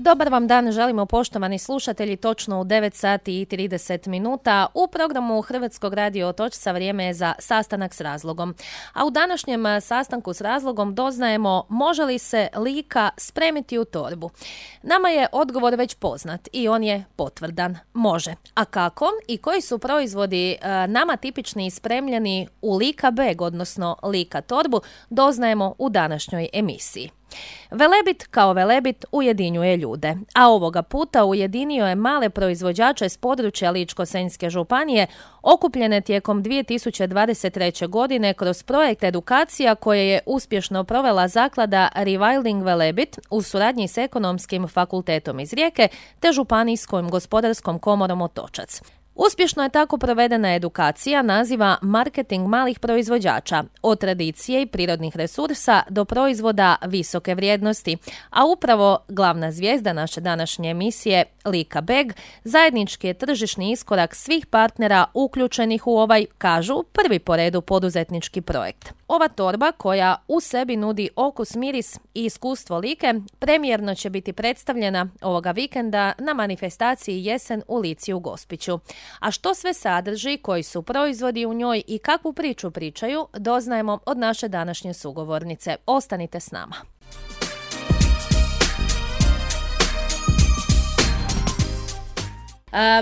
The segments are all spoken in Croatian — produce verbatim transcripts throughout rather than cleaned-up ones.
Dobar vam dan, želimo poštovani slušatelji, točno u devet sati i trideset minuta. U programu Hrvatskog radio Otočca vrijeme je za sastanak s razlogom. A u današnjem sastanku s razlogom doznajemo može li se Lika spremiti u torbu. Nama je odgovor već poznat i on je potvrdan. Može. A kako i koji su proizvodi nama tipični i spremljeni u Lika bag, odnosno Lika torbu, doznajemo u današnjoj emisiji. Velebit kao Velebit ujedinjuje ljude, a ovoga puta ujedinio je male proizvođače s područja Ličko-senjske županije okupljene tijekom dvije tisuće dvadeset treće. godine kroz projekt edukacija koje je uspješno provela zaklada Rewilding Velebit u suradnji s Ekonomskim fakultetom iz Rijeke te Županijskom gospodarskom komorom Otočac. Uspješno je tako provedena edukacija naziva Marketing malih proizvođača, od tradicije i prirodnih resursa do proizvoda visoke vrijednosti, a upravo glavna zvijezda naše današnje emisije, Lika bag, zajednički je tržišni iskorak svih partnera uključenih u ovaj, kažu, prvi po redu poduzetnički projekt. Ova torba, koja u sebi nudi okus, miris i iskustvo Like, premijerno će biti predstavljena ovoga vikenda na manifestaciji Jesen u Lici u Gospiću. A što sve sadrži, koji su proizvodi u njoj i kakvu priču pričaju, doznajemo od naše današnje sugovornice. Ostanite s nama.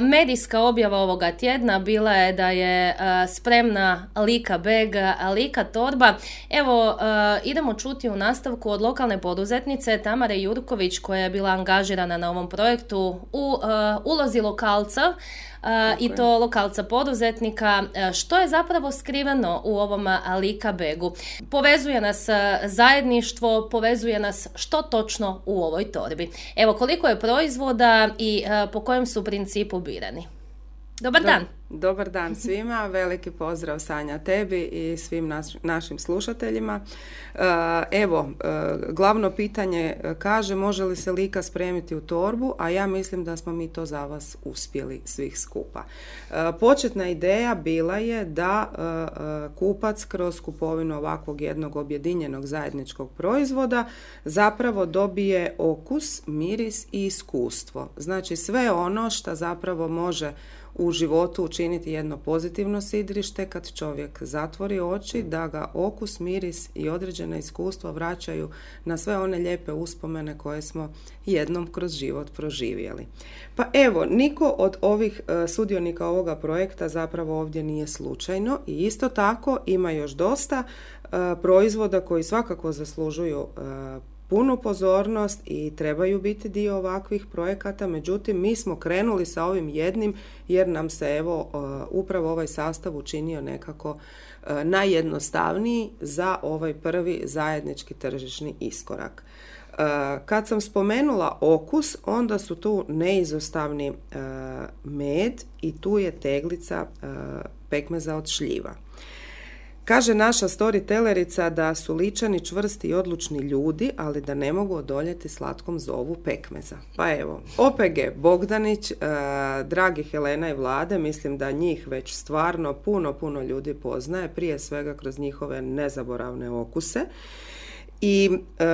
Medijska objava ovoga tjedna bila je da je spremna Lika bag, Lika torba. Evo, idemo čuti u nastavku od lokalne poduzetnice Tamare Jurković, koja je bila angažirana na ovom projektu u ulozi lokalca, i to lokalca poduzetnika. Što je zapravo skriveno u ovom Lika bagu? Povezuje nas zajedništvo, povezuje nas što točno u ovoj torbi. Evo, koliko je proizvoda i po kojem su principu birani? Dobar dan. Dobar dan svima, veliki pozdrav Sanja tebi i svim naš, našim slušateljima. Evo, glavno pitanje kaže može li se Lika spremiti u torbu, a ja mislim da smo mi to za vas uspjeli svih skupa. Početna ideja bila je da kupac kroz kupovinu ovakvog jednog objedinjenog zajedničkog proizvoda zapravo dobije okus, miris i iskustvo. Znači sve ono što zapravo može u životu učiniti jedno pozitivno sidrište kad čovjek zatvori oči, da ga okus, miris i određena iskustva vraćaju na sve one lijepe uspomene koje smo jednom kroz život proživjeli. Pa evo, niko od ovih uh, sudionika ovoga projekta zapravo ovdje nije slučajno i isto tako ima još dosta uh, proizvoda koji svakako zaslužuju uh, punu pozornost i trebaju biti dio ovakvih projekata, međutim mi smo krenuli sa ovim jednim jer nam se evo upravo ovaj sastav učinio nekako najjednostavniji za ovaj prvi zajednički tržišni iskorak. Kad sam spomenula okus, onda su tu neizostavni med i tu je teglica pekmeza od šljiva. Kaže naša storytellerica da su Ličani čvrsti i odlučni ljudi, ali da ne mogu odoljeti slatkom zovu pekmeza. Pa evo, O P G Bogdanić, eh, dragi Helena i Vlade, mislim da njih već stvarno puno, puno ljudi poznaje, prije svega kroz njihove nezaboravne okuse. I e,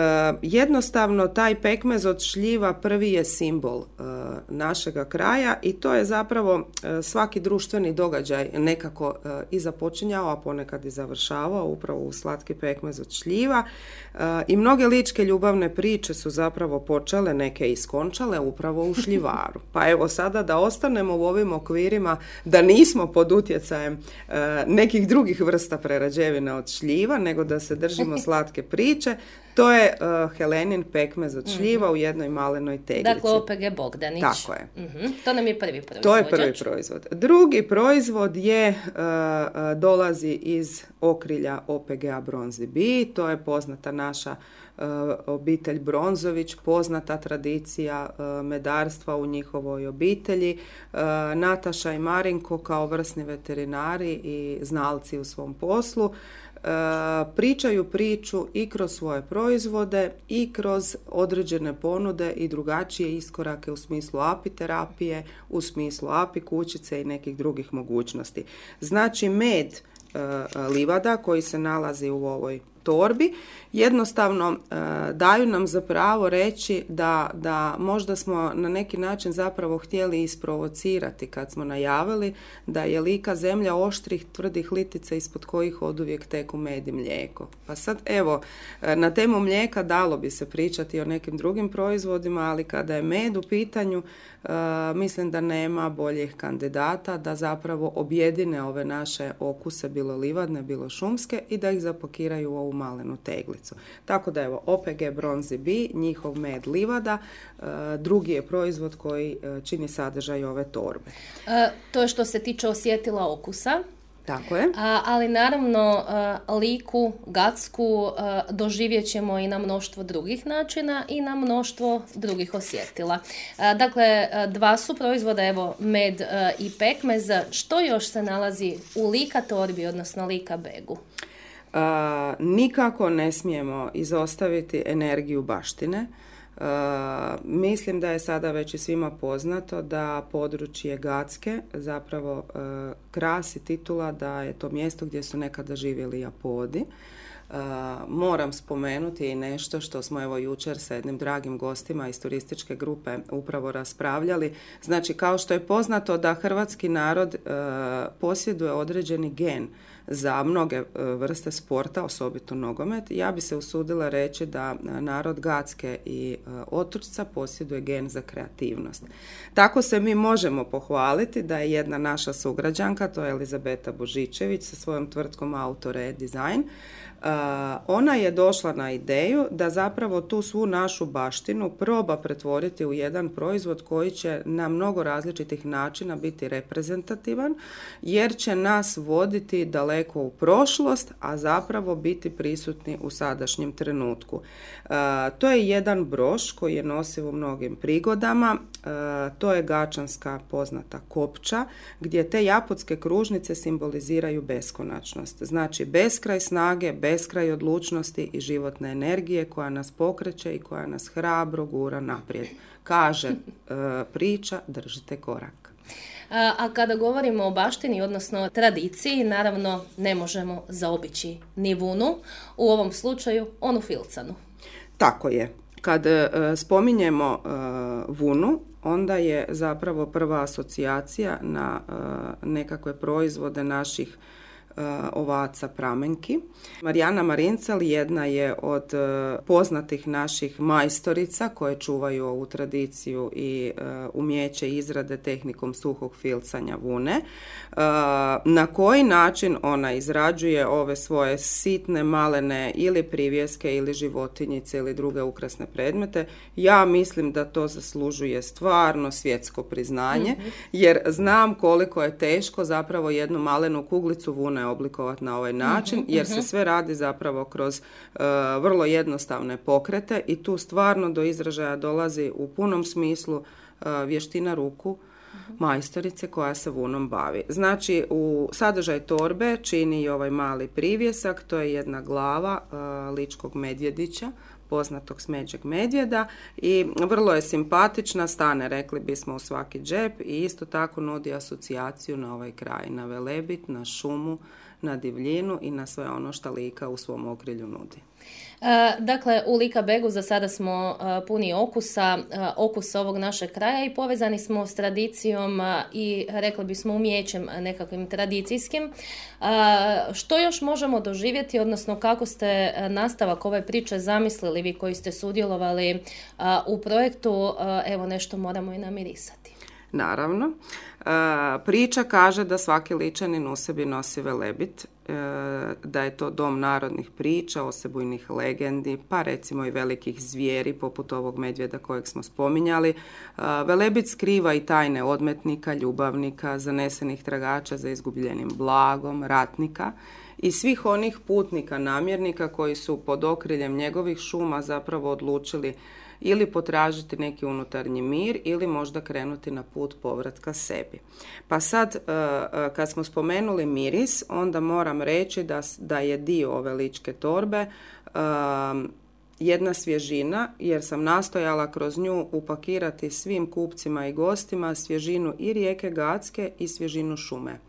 jednostavno taj pekmez od šljiva prvi je simbol e, našega kraja i to je zapravo e, svaki društveni događaj nekako e, i započinjao, a ponekad i završavao upravo u slatki pekmez od šljiva e, i mnoge ličke ljubavne priče su zapravo počele, neke iskončale upravo u šljivaru. Pa evo sada da ostanemo u ovim okvirima, da nismo pod utjecajem e, nekih drugih vrsta prerađevina od šljiva, nego da se držimo slatke priče. To je uh, Helenin pekmez od šljiva mm-hmm. u jednoj malenoj teglici. Dakle, O P G Bogdanić. Tako je. Mm-hmm. To nam je prvi proizvod. To je prvi proizvod. Drugi proizvod je, uh, uh, dolazi iz okrilja O P G-a Bronzi Bee. To je poznata naša uh, obitelj Bronzović, poznata tradicija uh, medarstva u njihovoj obitelji. Uh, Nataša i Marinko kao vrsni veterinari i znalci u svom poslu pričaju priču i kroz svoje proizvode i kroz određene ponude i drugačije iskorake u smislu apiterapije, u smislu apikućice i nekih drugih mogućnosti. Znači med livada koji se nalazi u ovoj torbi, jednostavno uh, daju nam za pravo reći da, da možda smo na neki način zapravo htjeli isprovocirati kad smo najavili da je Lika zemlja oštrih, tvrdih litica ispod kojih oduvijek teku med i mlijeko. Pa sad evo, na temu mlijeka dalo bi se pričati o nekim drugim proizvodima, ali kada je med u pitanju, uh, mislim da nema boljih kandidata da zapravo objedine ove naše okuse, bilo livadne, bilo šumske, i da ih zapakiraju u ovu malenu teglicu. Tako da evo, O P G Bronzi Bee, njihov med livada, uh, drugi je proizvod koji uh, čini sadržaj ove torbe. E, to je što se tiče osjetila okusa. Tako je. A, ali naravno uh, Liku, Gacku uh, doživjet ćemo i na mnoštvo drugih načina i na mnoštvo drugih osjetila. Uh, dakle, uh, dva su proizvoda, evo, med uh, i pekmez. Što još se nalazi u Lika torbi, odnosno Lika begu? Uh, nikako ne smijemo izostaviti energiju baštine. Uh, mislim da je sada već i svima poznato da područje Gacke zapravo uh, krasi titula da je to mjesto gdje su nekada živjeli Japodi. Uh, moram spomenuti i nešto što smo evo jučer sa jednim dragim gostima iz turističke grupe upravo raspravljali. Znači, kao što je poznato da hrvatski narod uh, posjeduje određeni gen za mnoge vrste sporta, osobito nogomet, ja bi se usudila reći da narod Gacke i Otočca posjeduje gen za kreativnost. Tako se mi možemo pohvaliti da je jedna naša sugrađanka, to je Elizabeta Božičević sa svojom tvrtkom Autore Design, Uh, ona je došla na ideju da zapravo tu svu našu baštinu proba pretvoriti u jedan proizvod koji će na mnogo različitih načina biti reprezentativan, jer će nas voditi daleko u prošlost, a zapravo biti prisutni u sadašnjem trenutku. Uh, to je jedan broš koji je nosiv u mnogim prigodama. Uh, to je gačanska poznata kopča, gdje te japodske kružnice simboliziraju beskonačnost. Znači, beskraj snage, beskraj odlučnosti i životne energije koja nas pokreće i koja nas hrabro gura naprijed. Kaže uh, priča, držite korak. A kada govorimo o baštini, odnosno tradiciji, naravno ne možemo zaobići ni vunu, u ovom slučaju onu filcanu. Tako je. Kad uh, spominjemo uh, vunu, onda je zapravo prva asocijacija na uh, nekakve proizvode naših uh, ovaca pramenki. Marijana Marincel jedna je od uh, poznatih naših majstorica koje čuvaju ovu tradiciju i uh, umjeće izrade tehnikom suhog filcanja vune. Uh, na koji način ona izrađuje ove svoje sitne, malene ili privjeske ili životinjice ili druge ukrasne predmete, ja mislim da to zaslužuje stvarno svjetsko priznanje, mm-hmm. jer znam koliko je teško zapravo jednu malenu kuglicu vune oblikovati na ovaj način, mm-hmm. jer se sve radi zapravo kroz uh, vrlo jednostavne pokrete i tu stvarno do izražaja dolazi u punom smislu uh, vještina ruku majstorice koja se vunom bavi. Znači, u sadržaj torbe čini i ovaj mali privjesak, to je jedna glava uh, ličkog medvjedića, poznatog smeđeg medvjeda, i vrlo je simpatična, stane, rekli bismo, u svaki džep, i isto tako nudi asocijaciju na ovaj kraj, na Velebit, na šumu, na divljinu i na sve ono što Lika u svom okrilju nudi. E, dakle, u Lika begu za sada smo e, puni okusa, e, okusa ovog našeg kraja i povezani smo s tradicijom e, i rekli bismo umjećem nekakvim tradicijskim. E, što još možemo doživjeti, odnosno kako ste e, nastavak ove priče zamislili vi koji ste sudjelovali e, u projektu, e, evo nešto moramo i namirisati. Naravno. E, priča kaže da svaki Ličanin u sebi nosi Velebit, e, da je to dom narodnih priča, osebujnih legendi, pa recimo i velikih zvijeri poput ovog medvjeda kojeg smo spominjali. E, Velebit skriva i tajne odmetnika, ljubavnika, zanesenih tragača za izgubljenim blagom, ratnika i svih onih putnika, namjernika koji su pod okriljem njegovih šuma zapravo odlučili ili potražiti neki unutarnji mir ili možda krenuti na put povratka sebi. Pa sad, kad smo spomenuli miris, onda moram reći da, da je dio ove ličke torbe jedna svježina, jer sam nastojala kroz nju upakirati svim kupcima i gostima svježinu i rijeke Gacke i svježinu šume.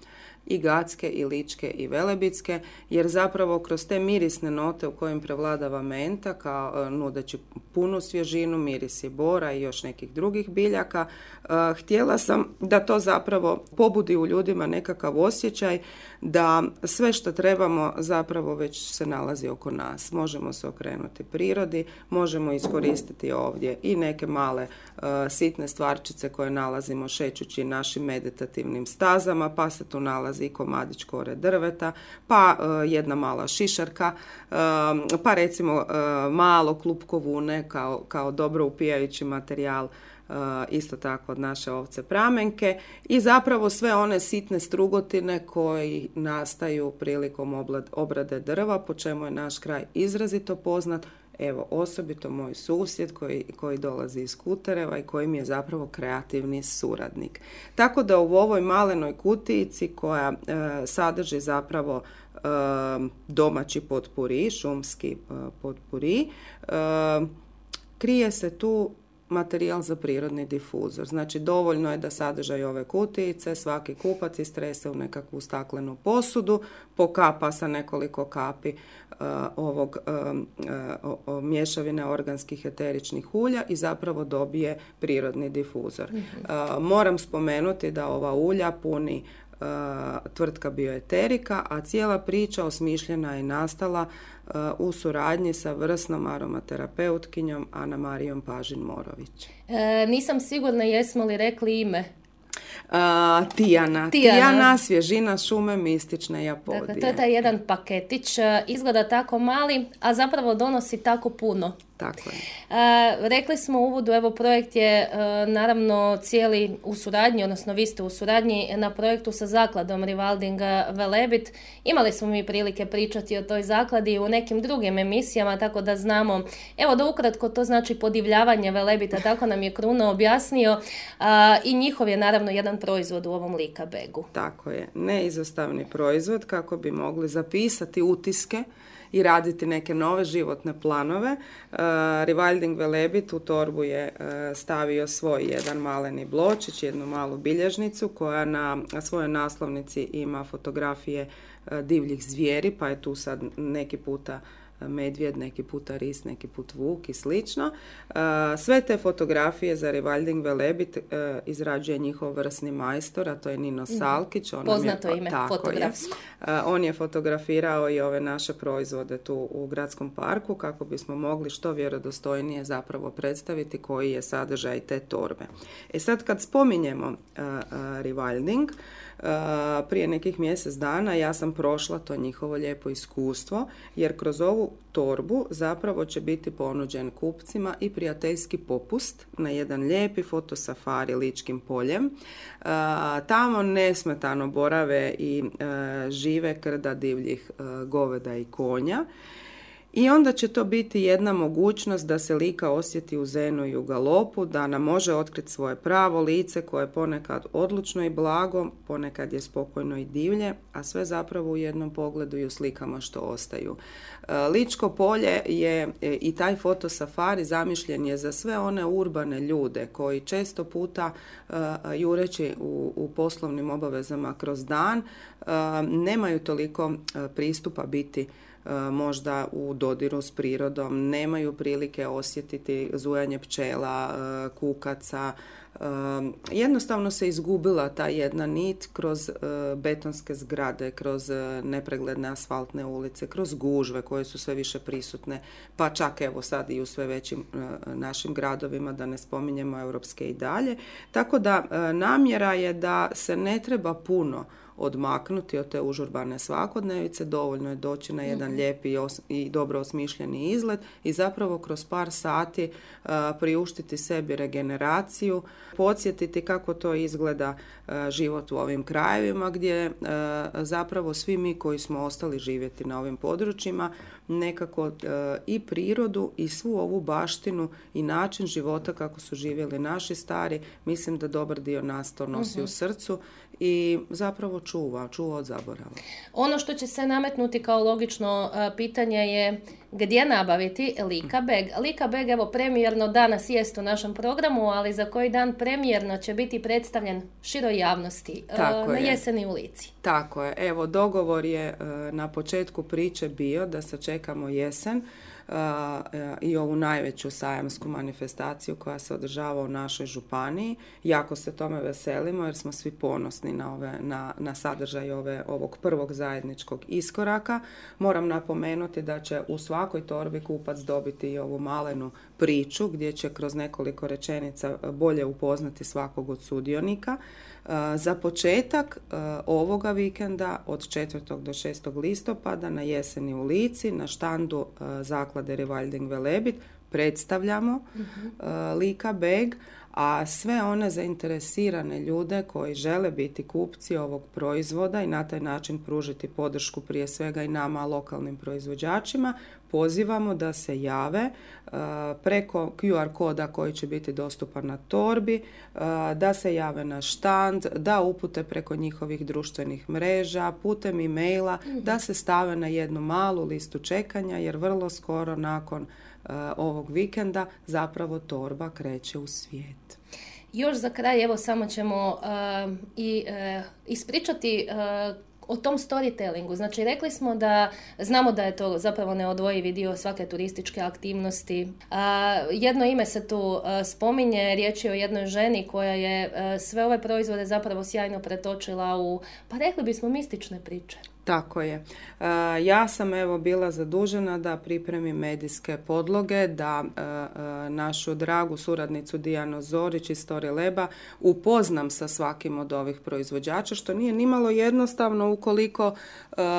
i gatske, i ličke, i velebitske, jer zapravo kroz te mirisne note u kojim prevladava menta, kao nudeći punu svježinu, mirisi bora i još nekih drugih biljaka, htjela sam da to zapravo pobudi u ljudima nekakav osjećaj da sve što trebamo zapravo već se nalazi oko nas. Možemo se okrenuti prirodi, možemo iskoristiti ovdje i neke male uh, sitne stvarčice koje nalazimo šećući našim meditativnim stazama, pa se tu nalazi i komadić kore drveta, pa uh, jedna mala šišarka, uh, pa recimo uh, malo klupko vune kao, kao dobro upijajući materijal, Uh, isto tako od naše ovce pramenke i zapravo sve one sitne strugotine koji nastaju prilikom oblad, obrade drva, po čemu je naš kraj izrazito poznat. Evo, osobito moj susjed koji, koji dolazi iz Kutereva i koji mi je zapravo kreativni suradnik. Tako da u ovoj malenoj kutijici koja uh, sadrži zapravo uh, domaći potpuri, šumski uh, potpuri, uh, krije se tu materijal za prirodni difuzor. Znači, dovoljno je da sadržaj ove kutijice svaki kupac istrese u nekakvu staklenu posudu, pokapa sa nekoliko kapi uh, ovog um, uh, mješavine organskih eteričnih ulja i zapravo dobije prirodni difuzor. Mm-hmm. Uh, moram spomenuti da ova ulja puni uh, tvrtka Bioeterika, a cijela priča osmišljena je nastala uh, u suradnji sa vrsnom aromaterapeutkinjom Ana Marijom Pažin-Morović. E, nisam sigurna jesmo li rekli ime. Uh, Tijana. Tijana. Tijana, svježina šume mistične Japodije. Dakle, to je taj jedan paketić, izgleda tako mali, a zapravo donosi tako puno. Tako je. E, rekli smo u uvodu, evo projekt je e, naravno cijeli u suradnji, odnosno vi ste u suradnji na projektu sa zakladom Rewilding Velebit. Imali smo mi prilike pričati o toj zakladi u nekim drugim emisijama, tako da znamo, evo da ukratko to znači podivljavanje velebita, tako nam je Kruno objasnio, a, i njihov je naravno jedan proizvod u ovom Lika Begu. Tako je, neizostavni proizvod kako bi mogli zapisati utiske i raditi neke nove životne planove. Uh, Rewilding Velebit u torbu je uh, stavio svoj jedan maleni bločić, jednu malu bilježnicu koja na svojoj naslovnici ima fotografije uh, divljih zvijeri, pa je tu sad neki puta medvjed, neki puta ris, neki put vuk i slično. Uh, sve te fotografije za Rewilding Velebit uh, izrađuje njihov vrsni majstor, a to je Nino Salkić. On Poznato je, ime, tako fotografsko. Je. Uh, on je fotografirao i ove naše proizvode tu u gradskom parku kako bismo mogli što vjerodostojnije zapravo predstaviti koji je sadržaj te torbe. E sad kad spominjemo uh, uh, Rewilding, Uh, prije nekih mjesec dana ja sam prošla to njihovo lijepo iskustvo, jer kroz ovu torbu zapravo će biti ponuđen kupcima i prijateljski popust na jedan lijepi fotosafari Ličkim poljem. Uh, tamo nesmetano borave i uh, žive krda divljih uh, goveda i konja. I onda će to biti jedna mogućnost da se Lika osjeti u zenu i u galopu, da nam može otkriti svoje pravo lice koje je ponekad odlučno i blago, ponekad je spokojno i divlje, a sve zapravo u jednom pogledu i u slikama što ostaju. Ličko polje je i taj fotosafari zamišljen je za sve one urbane ljude koji često puta jureći u, u poslovnim obavezama kroz dan nemaju toliko pristupa biti možda u dodiru s prirodom, nemaju prilike osjetiti zujanje pčela, kukaca. Jednostavno se izgubila ta jedna nit kroz betonske zgrade, kroz nepregledne asfaltne ulice, kroz gužve koje su sve više prisutne, pa čak evo sad i u sve većim našim gradovima, da ne spominjemo europske i dalje. Tako da namjera je da se ne treba puno odmaknuti od te užurbane svakodnevice, dovoljno je doći na jedan mm-hmm. lijepi i, os- i dobro osmišljeni izlet i zapravo kroz par sati uh, priuštiti sebi regeneraciju, podsjetiti kako to izgleda uh, život u ovim krajevima gdje uh, zapravo svi mi koji smo ostali živjeti na ovim područjima nekako uh, i prirodu i svu ovu baštinu i način života kako su živjeli naši stari, mislim da dobar dio nas to nosi mm-hmm. u srcu i zapravo čuva, čuva od zaborava. Ono što će se nametnuti kao logično uh, pitanje je gdje nabaviti Lika Bag. Lika Bag, evo, premijerno danas jest u našem programu, ali za koji dan premijerno će biti predstavljen široj javnosti Tako na je. jeseni u Lici. Tako je. Evo, dogovor je na početku priče bio da sačekamo jesen uh, i ovu najveću sajamsku manifestaciju koja se održava u našoj županiji. Jako se tome veselimo jer smo svi ponosni na, ove, na, na sadržaj ove, ovog prvog zajedničkog iskoraka. Moram napomenuti da će u svakoj torbi kupac dobiti i ovu malenu priču gdje će kroz nekoliko rečenica bolje upoznati svakog od sudionika. Za početak ovoga vikenda od četvrtog do šestog listopada na jeseni u Lici na štandu zaklade Rewilding Velebit predstavljamo uh-huh. Lika Bag, a sve one zainteresirane ljude koji žele biti kupci ovog proizvoda i na taj način pružiti podršku prije svega i nama lokalnim proizvođačima, pozivamo da se jave uh, preko Q R koda koji će biti dostupan na torbi, uh, da se jave na štand, da upute preko njihovih društvenih mreža, putem e-maila, mm-hmm. da se stave na jednu malu listu čekanja jer vrlo skoro nakon uh, ovog vikenda zapravo torba kreće u svijet. Još za kraj, evo samo ćemo uh, i uh, ispričati uh, o tom storytellingu. Znači, rekli smo da znamo da je to zapravo neodvojivi dio svake turističke aktivnosti. A, jedno ime se tu a, spominje, riječ je o jednoj ženi koja je a, sve ove proizvode zapravo sjajno pretočila u, pa rekli bismo, mistične priče. Tako je. E, ja sam evo bila zadužena da pripremim medijske podloge, da e, e, našu dragu suradnicu Dijanu Zorić iz Story Laba upoznam sa svakim od ovih proizvođača, što nije nimalo jednostavno ukoliko e, e,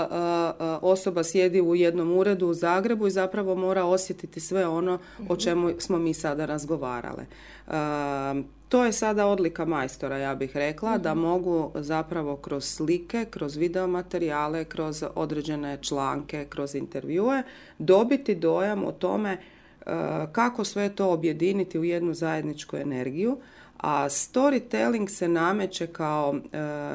osoba sjedi u jednom uredu u Zagrebu i zapravo mora osjetiti sve ono o čemu smo mi sada razgovarale. E, To je sada odlika majstora, ja bih rekla, mm-hmm. da mogu zapravo kroz slike, kroz videomaterijale, kroz određene članke, kroz intervjue dobiti dojam o tome uh, kako sve to objediniti u jednu zajedničku energiju. A storytelling se nameće kao uh,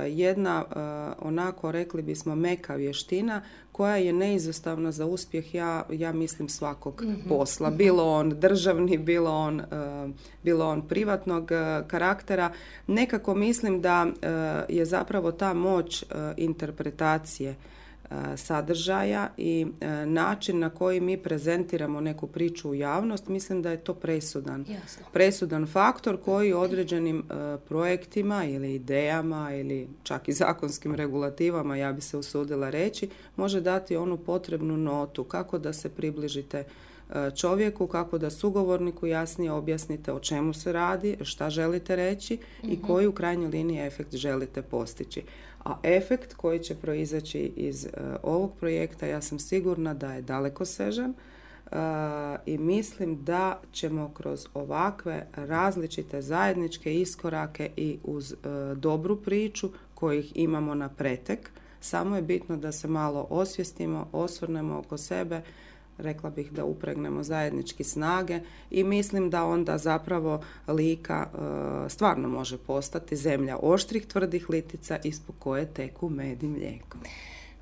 jedna, uh, onako rekli bismo, meka vještina koja je neizostavna za uspjeh, ja, ja mislim, svakog mm-hmm. posla. Bilo on državni, bilo on, uh, bilo on privatnog uh, karaktera. Nekako mislim da uh, je zapravo ta moć uh, interpretacije sadržaja i e, način na koji mi prezentiramo neku priču u javnost, mislim da je to presudan. Jasno. Presudan faktor koji određenim e, projektima ili idejama ili čak i zakonskim regulativama, ja bi se usudila reći, može dati onu potrebnu notu kako da se približite čovjeku, kako da sugovorniku jasnije objasnite o čemu se radi, šta želite reći mm-hmm. i koji u krajnjoj liniji efekt želite postići. A efekt koji će proizaći iz uh, ovog projekta, ja sam sigurna da je dalekosežan uh, i mislim da ćemo kroz ovakve različite zajedničke iskorake i uz uh, dobru priču kojih imamo na pretek, samo je bitno da se malo osvijestimo, osvrnemo oko sebe, rekla bih da upregnemo zajednički snage i mislim da onda zapravo Lika e, stvarno može postati zemlja oštrih tvrdih litica ispod koje teku med i mlijeko.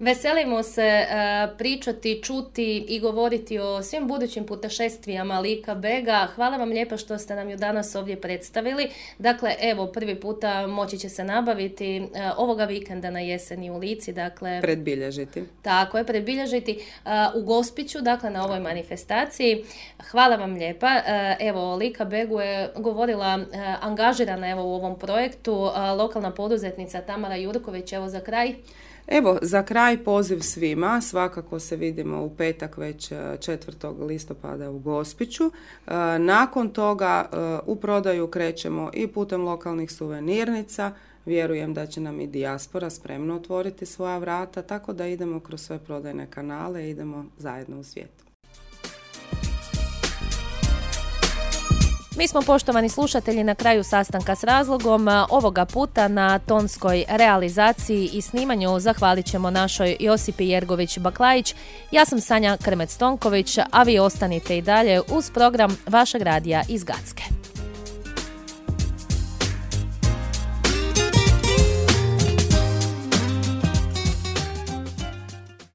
Veselimo se uh, pričati, čuti i govoriti o svim budućim putešestvijama Lika Baga. Hvala vam lijepo što ste nam ju danas ovdje predstavili. Dakle, evo, prvi puta moći će se nabaviti uh, ovoga vikenda na jeseni u Lici. Dakle, predbilježiti. Tako je, predbilježiti uh, u Gospiću, dakle na ovoj manifestaciji. Hvala vam lijepa. Uh, evo, Lika Bagu je govorila uh, angažirana evo u ovom projektu uh, lokalna poduzetnica Tamara Jurković. Evo za kraj. Evo, za kraj poziv svima, svakako se vidimo u petak već četvrtog listopada u Gospiću. Nakon toga u prodaju krećemo i putem lokalnih suvenirnica, vjerujem da će nam i dijaspora spremno otvoriti svoja vrata, tako da idemo kroz sve prodajne kanale i idemo zajedno u svijetu. Mi smo, poštovani slušatelji, na kraju sastanka s razlogom. Ovoga puta na tonskoj realizaciji i snimanju zahvalit ćemo našoj Josipi Jergović-Baklajić. Ja sam Sanja Krmec-Tonković, a vi ostanite i dalje uz program vašeg radija iz Gacke.